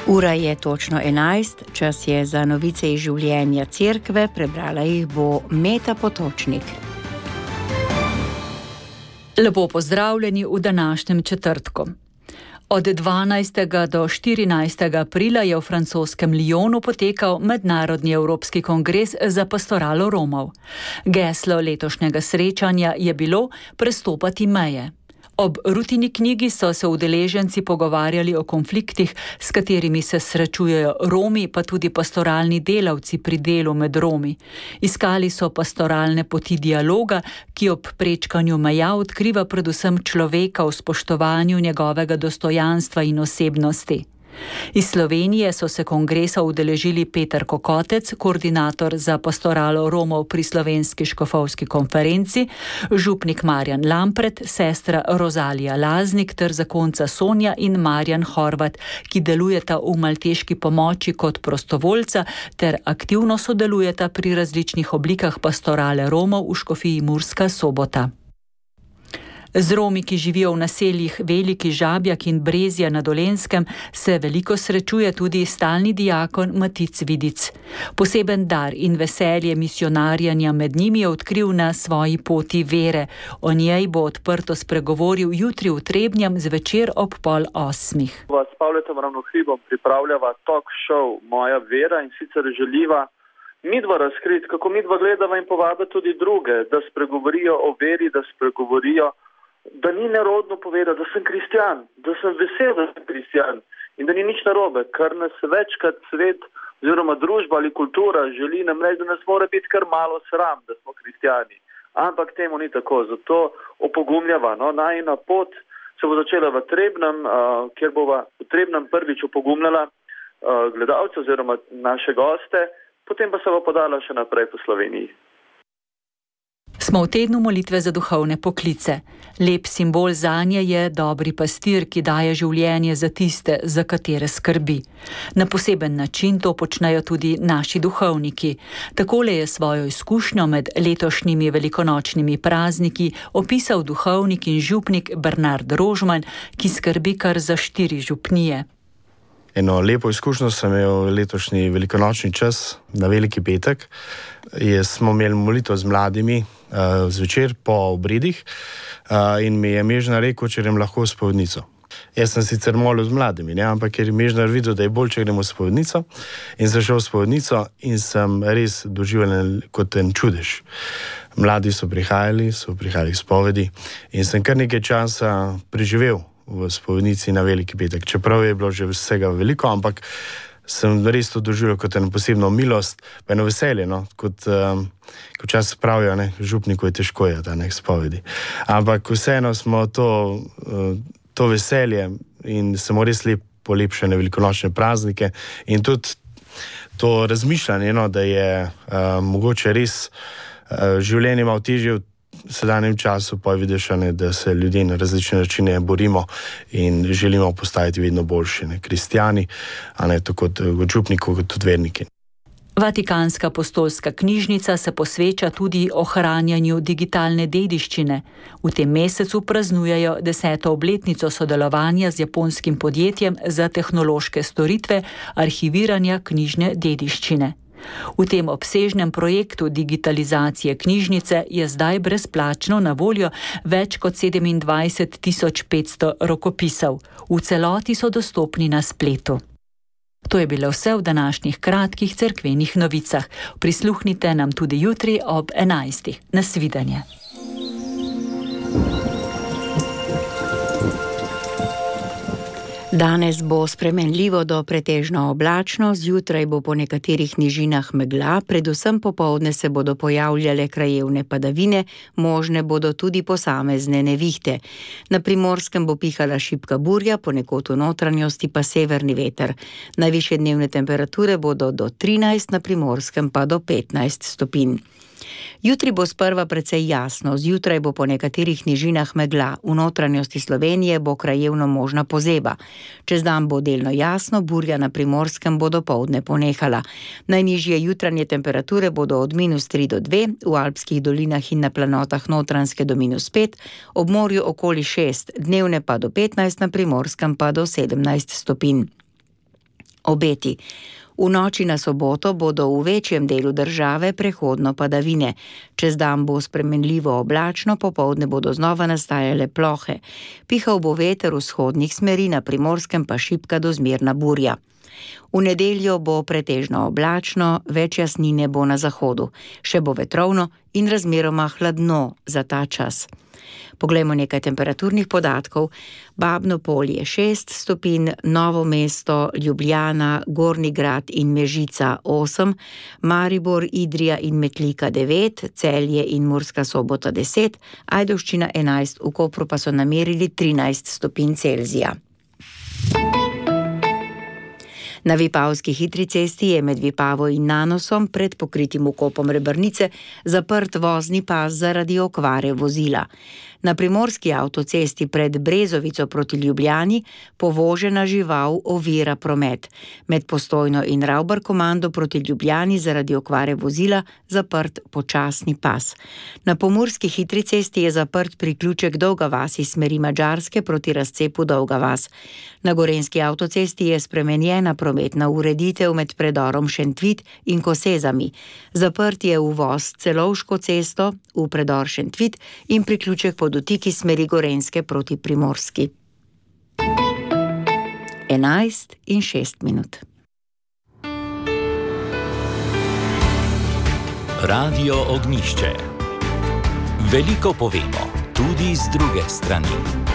Ura je točno 11, čas je za novice iz življenja cerkve, prebrala jih bo Meta Potočnik. Lepo pozdravljeni v današnjem četrtku. Od 12. do 14. aprila je v francoskem Lyonu potekal Mednarodni evropski kongres za pastoralo Romov. Geslo letošnjega srečanja je bilo prestopati meje. Ob Rutini knjigi so se udeleženci pogovarjali o konfliktih, s katerimi se srečujejo Romi, pa tudi pastoralni delavci pri delu med Romi. Iskali so pastoralne poti dialoga, ki ob prečkanju meja odkriva predvsem človeka v spoštovanju njegovega dostojanstva in osebnosti. Iz Slovenije so se kongresa udeležili Peter Kokotec, koordinator za pastoralo Romov pri Slovenski škofovski konferenci, župnik Marjan Lampret, sestra Rozalija Laznik ter zakonca Sonja in Marjan Horvat, ki delujeta v malteški pomoči kot prostovoljca ter aktivno sodelujeta pri različnih oblikah pastorale Romov v škofiji Murska Sobota. Z Romi, ki živijo v naseljih Veliki Žabjak in Brezja na Dolenjskem, se veliko srečuje tudi stalni diakon Matic Vidic. Poseben dar in veselje misionarjanja med njimi je odkril na svoji poti vere. O njej bo odprto spregovoril jutri v Trebnjem zvečer ob 7:30. S Pavletom Ravnohribom pripravljava talk show Moja vera in sicer želiva midva razkriti, kako midva gledava in povabiti tudi druge, da spregovorijo o veri, da spregovorijo, da ni nerodno povedati, da sem kristjan, da sem vesel, da sem kristjan in da ni nič narobe, kar nas večkrat svet oziroma družba ali kultura želi nam reči, da nas mora biti kar malo sram, da smo kristjani. Ampak temu ni tako, zato opogumljava. Najina pot se bo začela v Trebnem, kjer bova v Trebnem prvič opogumljala gledalce oziroma naše goste, potem pa se bo podala še naprej po Sloveniji. Smo v tednu molitve za duhovne poklice. Lep simbol zanje je dobri pastir, ki daje življenje za tiste, za katere skrbi. Na poseben način to počnejo tudi naši duhovniki. Takole je svojo izkušnjo med letošnjimi velikonočnimi prazniki opisal duhovnik in župnik Bernard Rožman, ki skrbi kar za 4 župnije. Eno lepo izkušnjo sem imel letošnji velikonočni čas na Veliki petek. Smo imeli molitev z mladimi zvečer po obredih in mi je Mežnar rekel, če grem lahko v spovednico. Jaz sem sicer molil z mladimi, ampak ker je Mežnar videl, da je bolj, če gremo v spovednico, in sem šel v spovednico in sem res doživel kot en čudež. Mladi so prihajali v spovedi in sem kar nekaj časa preživel v spovednici na Veliki petek. Čeprav je bilo že vsega veliko, ampak sem res to doživel kot eno posebno milost, pa eno veselje, kot včasih pravijo, župniku je težko je ta spovedi. Ampak vseeno smo to veselje in smo res polepšene velikonočne praznike in tudi to razmišljanje, da je mogoče res življenje malo težje v sedanjem času, pa vidiš, da se ljudje na različne načine borimo in želimo postajati vedno boljši, kristjani, tako kot župniki, kot tudi verniki. Vatikanska apostolska knjižnica se posveča tudi ohranjanju digitalne dediščine. V tem mesecu praznujejo 10. obletnico sodelovanja z japonskim podjetjem za tehnološke storitve arhiviranja knjižne dediščine. V tem obsežnem projektu digitalizacije knjižnice je zdaj brezplačno na voljo več kot 27.500 rokopisov. V celoti so dostopni na spletu. To je bilo vse v današnjih kratkih cerkvenih novicah. Prisluhnite nam tudi jutri ob 11. Nasvidenje. Danes bo spremenljivo do pretežno oblačno, zjutraj bo po nekaterih nižinah megla, predvsem popoldne se bodo pojavljale krajevne padavine, možne bodo tudi posamezne nevihte. Na Primorskem bo pihala šibka burja, ponekod v notranjosti pa severni veter. Najvišje dnevne temperature bodo do 13, na Primorskem pa do 15 stopinj. Jutri bo sprva precej jasno, zjutraj bo po nekaterih nižinah megla, v notranjosti Slovenije bo krajevno možna pozeba. Čez dan bo delno jasno, burja na Primorskem bo dopoldne ponehala. Najnižje jutranje temperature bodo od -3 do 2, v alpskih dolinah in na planotah Notranjske do -5, ob morju okoli 6, dnevne pa do 15, na Primorskem pa do 17 stopinj. Obeti. V noči na soboto bodo v večjem delu države prehodno padavine. Čez dan bo spremenljivo oblačno, popoldne bodo znova nastajale plohe. Pihal bo veter vzhodnih smeri, na Primorskem pa šibka do zmerna burja. V nedeljo bo pretežno oblačno, več jasnine bo na zahodu. Še bo vetrovno in razmeroma hladno za ta čas. Poglejmo nekaj temperaturnih podatkov. Babno Polje 6 stopinj, Novo mesto, Ljubljana, Gornji Grad in Mežica 8, Maribor, Idrija in Metlika 9, Celje in Murska Sobota 10, Ajdovščina 11, v Kopru pa so namerili 13 stopinj Celzija. Na Vipavski hitri cesti je med Vipavo in Nanosom pred pokritim vkopom Rebrnice zaprt vozni pas zaradi okvare vozila. Na primorski avtocesti pred Brezovico proti Ljubljani povožena žival ovira promet. Med Postojno in Ravbarkomando proti Ljubljani zaradi okvare vozila zaprt počasni pas. Na pomurski hitri cesti je zaprt priključek Dolga vas iz smeri Madžarske proti razcepu Dolga vas. Na gorenjski avtocesti je spremenjena prometna ureditev med predorom Šentvit in Kosezami. Zaprt je uvoz Celovško cesto v predor Šentvit in priključek po dotiki smeri Gorenjske proti Primorski. 11:06. Radio Ognjišče. Veliko povemo, tudi z druge strani.